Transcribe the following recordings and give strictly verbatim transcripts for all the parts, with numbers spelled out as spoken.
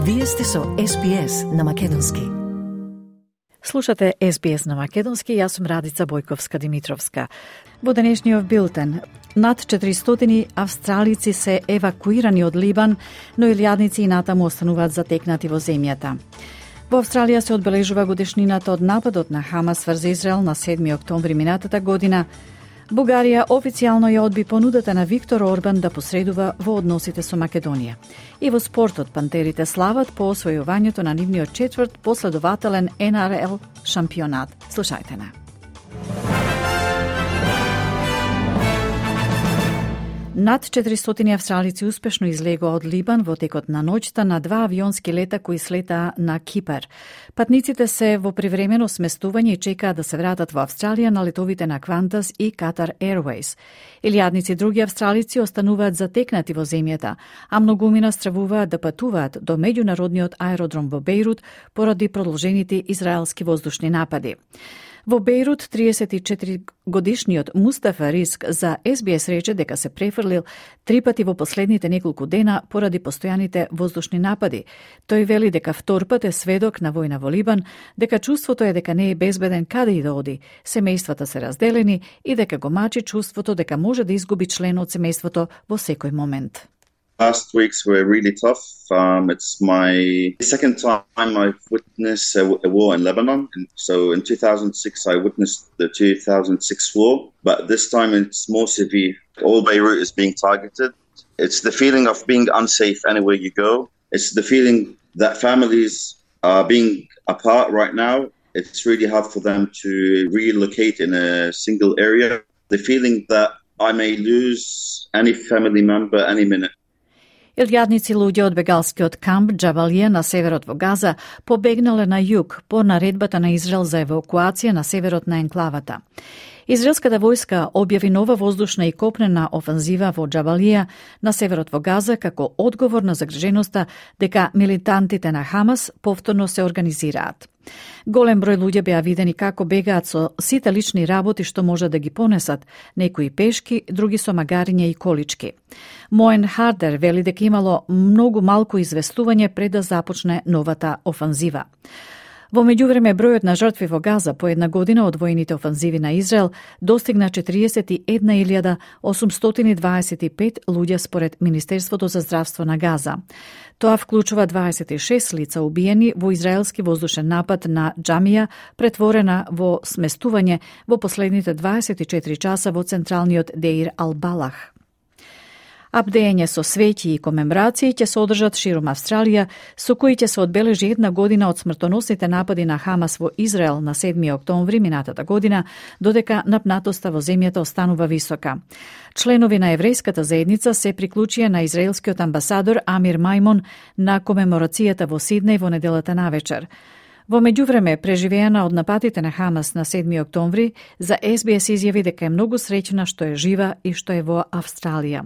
Вие сте со Ес Би Ес на Македонски. Слушате Ес Би Ес на Македонски, јас сум Радица Бојковска-Димитровска. Во денешниот билтен, над четиристотини австралици се евакуирани од Либан, но илјадници и натаму остануваат затекнати во земјата. Во Австралија се одбележува годишнината од нападот на Хамас врз Израел на седми октомври минатата година. Бугарија официјално ја одби понудата на Виктор Орбан да посредува во односите со Македонија. И во спортот пантерите слават по освојувањето на нивниот четврт последователен Ен Ар Ел шампионат. Слушајте на. Над четиристотини австралици успешно излегоа од Либан во текот на ноќта на два авионски лета кои слетаа на Кипар. Патниците се во привремено сместување и чекаат да се вратат во Австралија на летовите на Qantas и Qatar Airways. Илјадници други австралици остануваат затекнати во земјата, а многумина стравуваат да патуваат до меѓународниот аеродром во Бејрут поради продолжените израелски воздушни напади. Во Бејрут, триесет и четири годишниот Мустафа Риск за Ес Би Ес рече дека се префрлил три пати во последните неколку дена поради постојаните воздушни напади. Тој вели дека втор пат е сведок на војна во Либан, дека чувството е дека не е безбеден каде и да оди, семејствата се разделени и дека го мачи чувството дека може да изгуби член од семејството во секој момент. Last weeks were really tough. Um, it's my second time I've witnessed a, a war in Lebanon. And so in two thousand six, I witnessed the two thousand six war, but this time it's more severe. All Beirut is being targeted. It's the feeling of being unsafe anywhere you go. It's the feeling that families are being apart right now. It's really hard for them to relocate in a single area. The feeling that I may lose any family member any minute. Илјадници луѓе од бегалскиот камп Џабалија на северот во Газа побегнале на југ по наредбата на Израел за евакуација на северот на енклавата. Израелската војска објави нова воздушна и копнена офанзива во Џабалија на северот во Газа како одговор на загриженоста дека милитантите на Хамас повторно се организираат. Голем број луѓе беа видени како бегаат со сите лични работи што може да ги понесат, некои пешки, други со магариња и колички. Моен Хардер вели дека имало многу малку известување пред да започне новата офанзива. Во меѓувреме, бројот на жртви во Газа по една година од војните офанзиви на Израел достигна четириесет и една илјада осумстотини дваесет и пет луѓе според Министерството за здравство на Газа. Тоа вклучува дваесет и шест лица убиени во израелски воздушен напад на џамија, претворена во сместување во последните дваесет и четири часа во централниот Деир Ал-Балах. Абдење со свети и комеморации ќе се одржат широм Австралија, со кои ќе се одбележи една година од смртоносните напади на Хамас во Израел на седми октомври минатата година, додека напнатоста во земјата останува висока. Членови на еврејската заедница се приклучија на израелскиот амбасадор Амир Мајмон на комеморацијата во Сиднеј во неделата навечер. Во меѓувреме, преживеана од нападите на Хамас на седми октомври, за Ес Би Ес изјави дека е многу среќна што е жива и што е во Австралија.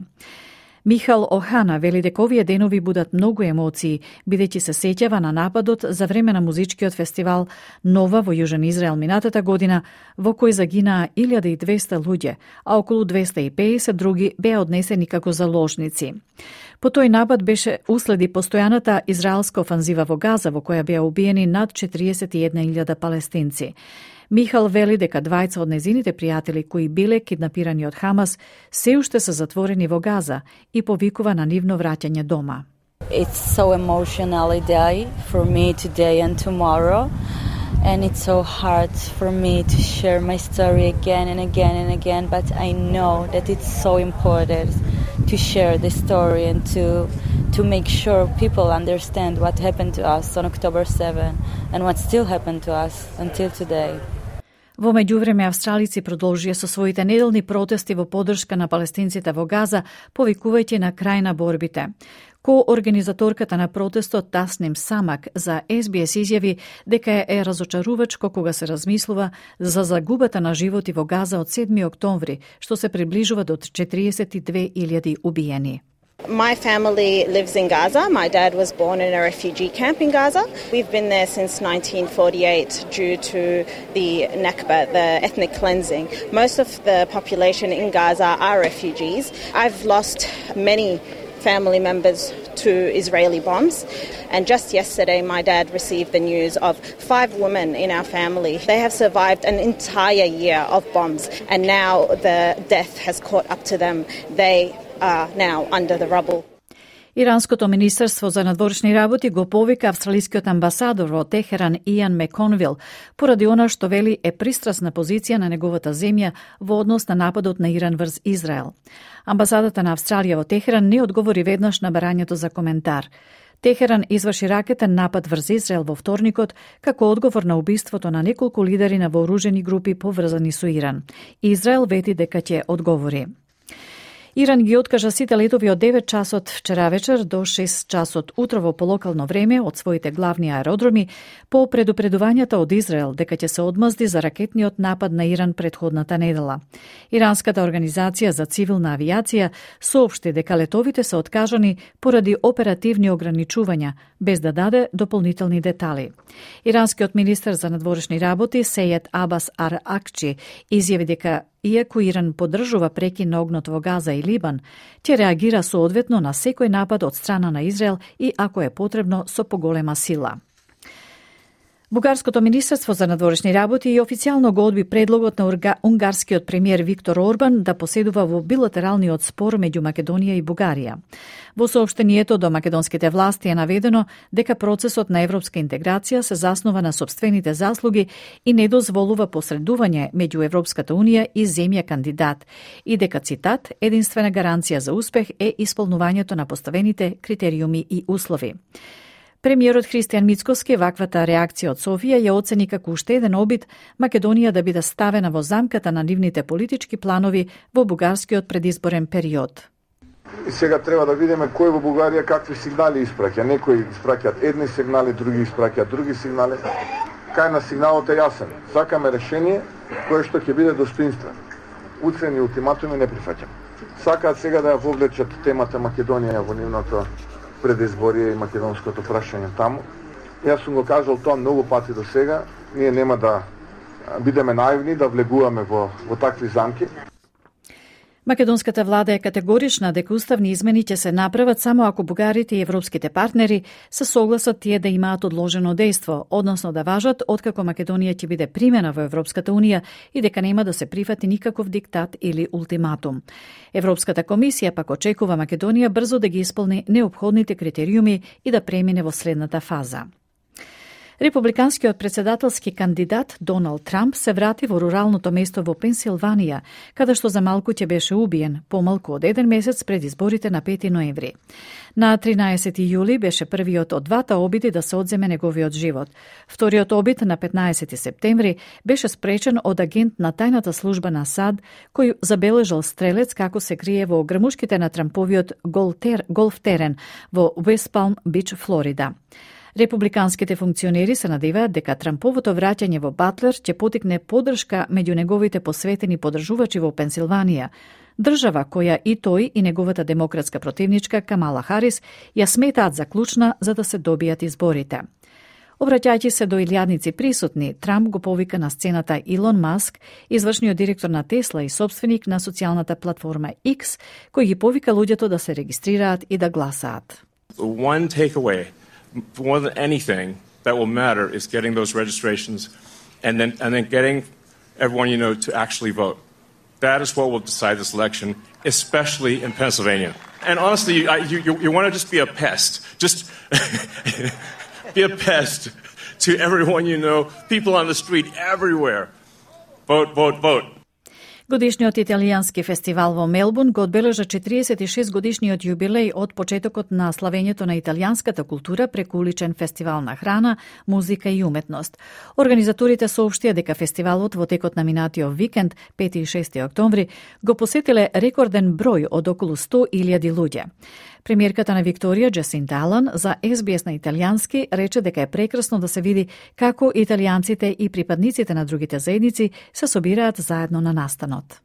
Михал Охана вели дека овие денови будат многу емоции, бидејќи се сеќава на нападот за време на музичкиот фестивал Нова во Јужен Израел минатата година, во кој загинаа илјада и двесте луѓе, а околу двесте и педесет други беа однесени како заложници. По тој напад беше уследи постојаната израелска офанзива во Газа, во која беа убиени над четириесет и една илјада палестинци. Михал вели дека двајца од незините пријатели кои биле киднапирани од Хамас се уште се затворени во Газа и повикува на нивно враќање дома. It's so emotional a day for me today and tomorrow, and it's so hard for me to share my story again and again and again, but I know that it's so important to share the story and to to make sure people understand what happened to us on October seventh and what still happened to us until today. Во меѓувреме, австралици продолжија со своите неделни протести во поддршка на палестинците во Газа, повикувајќи на крај на борбите. Ко-организаторката на протестот Тасним Самак за Ес Би Ес изјави дека е разочарувачко кога се размислува за загубата на животи во Газа од седми октомври, што се приближува до четириесет и две илјади убиени. My family lives in Gaza. My dad was born in a refugee camp in Gaza. We've been there since nineteen forty-eight due to the Nakba, the ethnic cleansing. Most of the population in Gaza are refugees. I've lost many family members to Israeli bombs. And just yesterday, my dad received the news of five women in our family. They have survived an entire year of bombs, and now the death has caught up to them. They are now under the rubble. Иранското министерство за надворешни работи го повика австралискиот амбасадор во Техеран Иан Меконвил поради она што вели е пристрасна позиција на неговата земја во однос на нападот на Иран врз Израел. Амбасадата на Австралија во Техеран не одговори веднаш на барањето за коментар. Техеран изврши ракетен напад врз Израел во вторникот како одговор на убиството на неколку лидери на вооружени групи поврзани со Иран. Израел вети дека ќе одговори. Иран ги откажа сите летови од девет часот вчера вечер до шест часот утрово по локално време од своите главни аеродроми по предупредувањата од Израел дека ќе се одмазди за ракетниот напад на Иран претходната недела. Иранската организација за цивилна авиација соопшти дека летовите се откажани поради оперативни ограничувања, без да даде дополнителни детали. Иранскиот министер за надворешни работи Сејед Абас Ар-Акчи изјави дека иако Иран поддржува прекин на огнот во Газа и Либан, ќе реагира соодветно на секој напад од страна на Израел и ако е потребно со поголема сила. Бугарското министерство за надворешни работи и официјално го одби предлогот на унгарскиот премиер Виктор Орбан да поседува во билатералниот спор меѓу Македонија и Бугарија. Во соопштението до македонските власти е наведено дека процесот на европска интеграција се заснова на сопствените заслуги и не дозволува посредување меѓу Европската унија и земја кандидат и дека, цитат, единствена гаранција за успех е исполнувањето на поставените критериуми и услови. Премиерот Христијан Мицкоски ваквата реакција од Софија ја оцени како уште еден обид Македонија да биде ставена во замката на нивните политички планови во бугарскиот предизборен период. И сега треба да видиме кој во Бугарија какви сигнали испраќа. Некои испраќаат едни сигнали, други испраќаат други сигнали. Кај на сигналот е јасен. Сакаме решение кое што ќе биде достоинствено. Уцени ултиматуми не прифаќам. Сакаат сега да ја вовлечат темата Македонија во нивното предизборие и македонското прашање таму. Јас сум го кажал тоа многу пати до сега. Ние нема да бидеме наивни, да влегуваме во, во такви замки. Македонската влада е категорична дека уставни измени ќе се направат само ако бугарите и европските партнери се согласат тие да имаат одложено дејство, односно да важат откако Македонија ќе биде примена во Европската унија и дека нема да се прифати никаков диктат или ултиматум. Европската комисија пак очекува Македонија брзо да ги исполни неопходните критериуми и да премине во следната фаза. Републиканскиот председателски кандидат Доналд Трамп се врати во руралното место во Пенсилванија, каде што за малку ќе беше убиен, помалку од еден месец пред изборите на пети ноември. На тринаесети јули беше првиот од двата обиди да се одземе неговиот живот. Вториот обид на петнаесети септември беше спречен од агент на тајната служба на САД, кој забележал стрелец како се крие во грмушките на Трамповиот голф терен во Уест Палм Бич, Флорида. Републиканските функционери се надеваат дека Трамповото враќање во Батлер ќе потикне поддршка меѓу неговите посветени поддржувачи во Пенсилванија, држава која и тој и неговата демократска противничка Камала Харис ја сметаат за клучна за да се добијат изборите. Обраќајќи се до илјадници присутни, Трамп го повика на сцената Илон Маск, извршниот директор на Тесла и собственик на социјалната платформа X, кој ги повика луѓето да се регистрираат и да гласаат. One takeaway more than anything that will matter is getting those registrations and then and then getting everyone you know to actually vote. That is what will decide this election, especially in Pennsylvania. And honestly, you, you, you, you want to just be a pest. Just be a pest to everyone you know, people on the street, everywhere. Vote, vote, vote. Годишниот италијански фестивал во Мелбурн го одбележа четириесет и шест годишниот јубилеј од почетокот на славењето на италијанската култура преку уличен фестивал на храна, музика и уметност. Организаторите соопштија дека фестивалот во текот на минатиот викенд, пети и шести октомври, го посетиле рекорден број од околу сто илјади луѓе. Премиерката на Викторија, Джасинта Алан, за Ес Би Ес на италијански рече дека е прекрасно да се види како италијанците и припадниците на другите заедници се собираат заедно на настанот.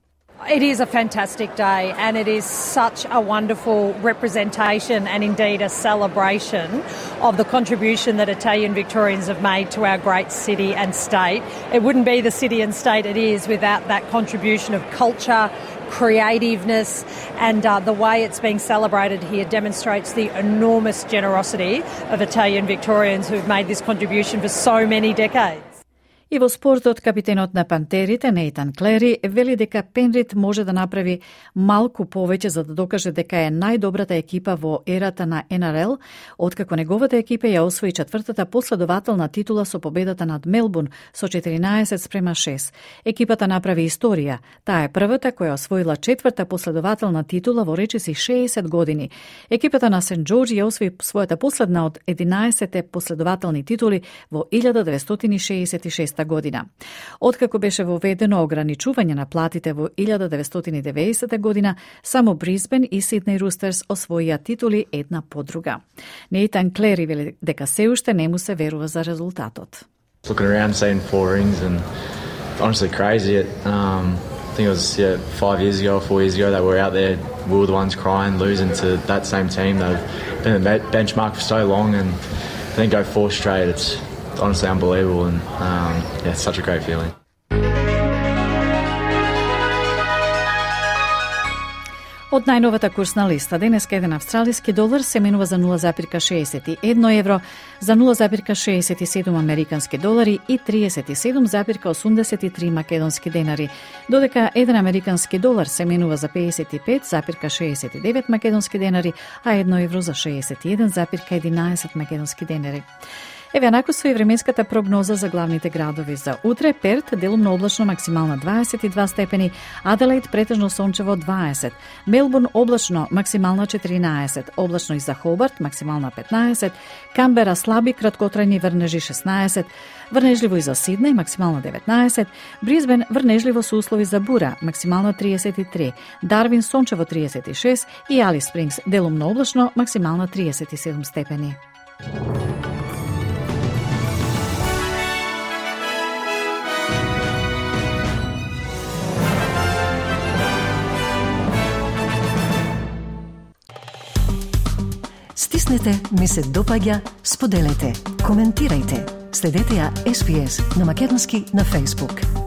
It is a fantastic day and it is such a wonderful representation and indeed a celebration of the contribution that Italian Victorians have made to our great city and state. It wouldn't be the city and state it is without that contribution of culture, creativeness, and uh, the way it's being celebrated here demonstrates the enormous generosity of Italian Victorians who've made this contribution for so many decades. И во спортот, капитенот на Пантерите, Нейтан Клери, вели дека Пенрит може да направи малку повеќе за да докаже дека е најдобрата екипа во ерата на Ен Ар Ел, откако неговата екипа ја освои четвртата последователна титула со победата над Мелбурн со четиринаесет спрема шест. Екипата направи историја. Таа е првата која освоила четврта последователна титула во речиси шеесет години. Екипата на Сент Џорџ ја освои својата последна од единаесетте последователни титули во илјада деветстотини шеесет и шеста година. Откако беше воведено ограничување на платите во илјада деветстотини и деветдесета година, само Брисбен и Сиднеј Рустерс освоија титули една по друга. Нейтан Клери вели дека се уште не му се верува за резултатот. Looking around, seeing four rings, and honestly crazy. It, um, I think it was yeah, five years ago or four years ago that we were out there, we were the ones crying, losing to that same team. They've been the benchmark for so long, and then go four straight. It's honestly unbelievable, and um, yeah, it's such a great feeling. Од најновата курсна листа, денеска еден австралиски долар се менува за нула зарез шеесет и едно евро, за нула зарез шеесет и седум американски долари и триесет и седум зарез осумдесет и три македонски денари, додека еден американски долар се менува за пеесет и пет зарез шеесет и девет македонски денари, а едно евро за шеесет и еден зарез единаесет македонски денари. Еве накусва и временската прогноза за главните градови за утре. Перт делумно облачно, максимална дваесет и два степени, Аделаид претежно сончево дваесет, Мелбурн облачно, максимална четиринаесет, облачно и за Хобарт, максимална петнаесет, Камбера слаби краткотрајни врнежи шеснаесет, врнежливо и за Сиднеј, максимална деветнаесет, Брисбен врнежливо со услови за бура, максимална триесет и три, Дарвин сончево триесет и шест и Алис Спрингс делумно облачно, максимална триесет и седум степени. Стиснете, ми се допаѓа, споделете, коментирајте. Следете ја Ес Би Ес на македонски на Facebook.